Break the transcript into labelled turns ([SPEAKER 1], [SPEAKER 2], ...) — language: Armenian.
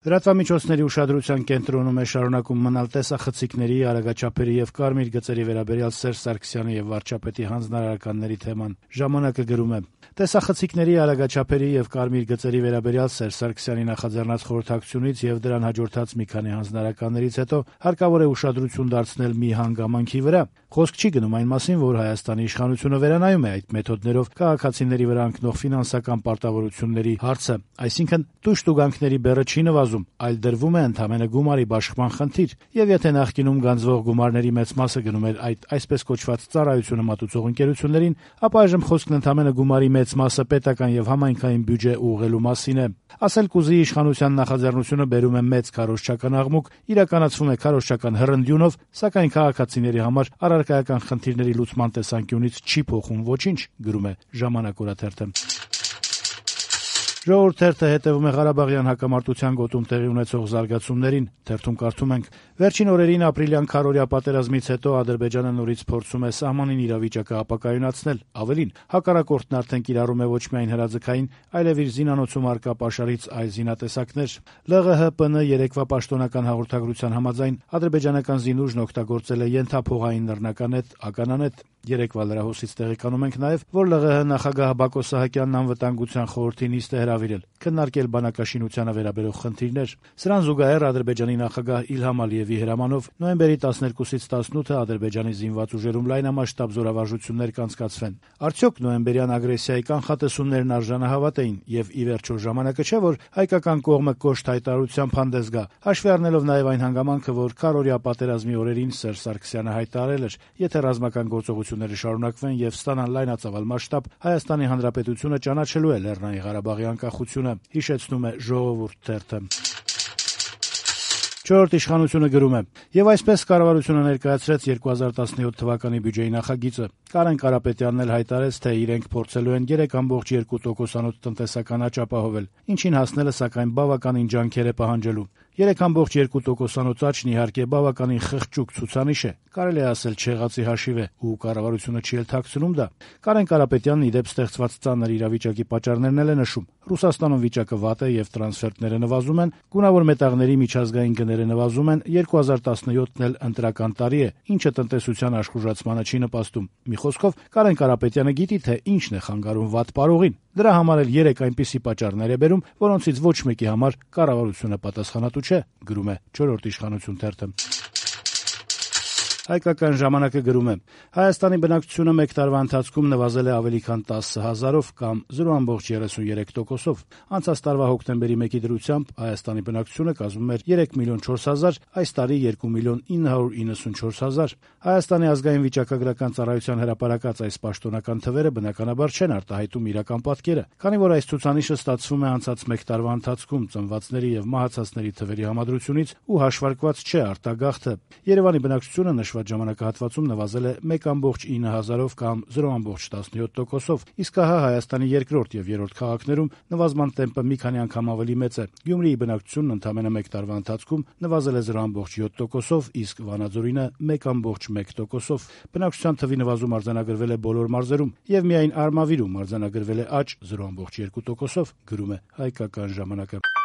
[SPEAKER 1] Լրատվամիջոցների ուշադրության կենտրոնում է շարունակում մնալ տեսախցիկների, արագաչափերի եւ կարմիր գծերի վերաբերյալ Սերժ Սարգսյանի եւ վարչապետի հանձնարարականների թեման։ «Ժամանակ»-ը գրում է. տեսախցիկների, արագաչափերի եւ կարմիր գծերի վերաբերյալ Սերժ Սարգսյանի նախաձեռնած խորհրդակցությունից եւ դրան հաջորդած մի քանի հանձնարարականներից հետո հարկավոր է ուշադրություն դարձնել մի հանգամանքի վրա։ Խոսք չի գնում այն մասին, որ Հայաստանի իշխանությունը վերանայում է այդ մեթոդներով քաղաքացիների վրա ընկնող ֆինանսական պարտավորությունների հարցը, այսինքն տուժ-տուգանքների բեռը չի նվազում, այլ դրվում է ընդամենը գումարի բաշխման խնդիր, եւ եթե նախկինում գանձվող գումարների մեծ մասը գնում էր այդ այսպես կոչված ծառայությունը մատուցող ընկերություններին, ապա այժմ խոսքն ընդամենը գումարի մեծ մասը պետական եւ համայնքային բյուջե ուղղելու մասին է։ Ասել կուզի իշխանության նախաձեռնությունը բերում է մեծ քարոզչական աղմուկ, իրականացվում է քարոզչական հռնդյունով, սակայն քաղաքացիների համար առարկայական խնդիրների լուծման տեսանկյունից չի փոխում ոչինչ, գրում է «Ժամանակ» օրաթերթը։ «Ժողովուրդ» թերթը հետևում է Ղարաբաղյան հակամարտության գոտում տեղի ունեցող զարգացումներին։ Թերթում կարդում ենք. «Վերջին օրերին ապրիլյան քարոզիա պատերազմից հետո Ադրբեջանը նորից փորձում է սահմանին իրավիճակը ապակայունացնել։ Ավելին, հակառակորդն արդեն կիրառում է ոչ միայն հրաձգային, այլև իր զինանոցում առկա պաշարից այլ զինատեսակներ։ ԼՂՀ-ՊՆ երեկվա պաշտոնական հաղորդագրության համաձայն ադրբեջանական զինուժն օգտագործել է ենթափողային նռնականետ, ականանետ։ Երեկվա լրահոսից տեղեկանում ենք նաև, որ ԼՂՀ նախագահ Բակո Սահակյանն անվտանգության խորհրդի նիստ է հրավիրել քննարկել բանակաշինությանը վերաբերող խնդիրներ։ Սրան զուգահեռ Ադրբեջանի նախագահ Իլհամ Ալիևի հրամանով նոյեմբերի 12-ից 18-ը Ադրբեջանի զինված ուժերում լայնամասշտաբ զորավարժություններ կանցկացվեն։ Արդյոք նոյեմբերյան ագրեսիայի կանխատեսումներն արժանահավատ էին եւ ի վերջո ժամանակը չէ, որ հայկական կողմը կոշտ հայտարարությամբ հանդես գա, հաշվի առնելով նաեւ այն հանգամանքը, որ քարոզիա պատերազմի օրերին Սերժ Սարգսյանը հայտարարել էր, եթե ռազմական գործողությունները շարունակվեն եւ ստանան լայնածավալ մասշտաբ, Հայաստանի Հանրապետությունը ճանաչելու է Լեռնային Ղարաբաղի անկախությունը, հիշեցնում է «Ժողովուրդ» թերթը։ «Չորրորդ իշխանությունը» գրում է. «Եվ այսպես կառավարությունը ներկայացրեց 2017 թվականի բյուջեի նախագիծը։ Կարեն Կարապետյանն էլ հայտարարեց, թե իրենք փորձելու են 3.2%-անոց տնտեսական աճ ապահովել, ինչին հասնելը սակայն բավականին ջանքեր է պահանջելու։ 3.2%-անոց աճն իհարկե բավականին խղճուկ ցուցանիշ է, կարելի է ասել չեղածի հաշիվ է, ու կառավարությունը չի էլ թաքցնում դա։ Կարեն Կարապետյանն ի դեպ ստեղծված ծանր իրավիճակի պատճառներն էլ է նշում։ Ռուսաստանում վիճակը վատ է եւ տրանսֆերտները նվազում են, գունավոր մետաղների միջազգային գները նվազում են, 2017-ն էլ ընտրական տարի է, ինչը տնտեսության աշխուժացմանը չի նպաստում։ Մի խոսքով, Կարեն Կարապետյանը գիտի, թե ինչն է խանգարում վատ պարողին։ Դրա համար էլ 3 այնպիսի պատճառներ է բերում, որոնցից ոչ մեկի համար կառավարությունը պատասխանատու չէ, գրում է «Չորրորդ իշխանություն» թերթը։ Հայկական ժամանակը գրում է. Հայաստանի բնակչությունը մեկ տարվա ընթացքում նվազել է ավելի քան 10,000-ով կամ 0.33%-ով։ Անցած տարվա հոկտեմբերի 1-ի դրությամբ Հայաստանի բնակչությունը կազմում էր 3.4 միլիոն, այս տարի 2.994 միլիոն։ Հայաստանի ազգային վիճակագրական ծառայության հրապարակած այս պաշտոնական թվերը բնականաբար չեն արտահայտում իրական պատկերը, քանի որ այս ցուցանիշը ստացվում է անցած մեկ տարվա ընթացքում ծնվածների եւ մահացածների թվերի համադրությունից ու հաշվարկված չէ արտագաղթը։ Երևանի բնակչությունը նշված ժամանակահատվածում նվազել է 1.9 կամ 0.17%-ով, իսկ հա Հայաստանի երկրորդ եւ երրորդ քաղաքներում նվազման տեմպը մի քանի անգամ ավելի մեծ է։ Գյումրիի բնակչությունն ընդամենը մեկ տարվա ընթացքում նվազել է 0.7%-ով, իսկ Վանաձորինը 1.1%-ով։ Բնակչության թվի նվազում արձանագրվել է բոլոր մարզերում եւ միայն Արմավիրում արձանագրվել է աճ 0.2%-ով, գրում է Հայկական ժամանակը։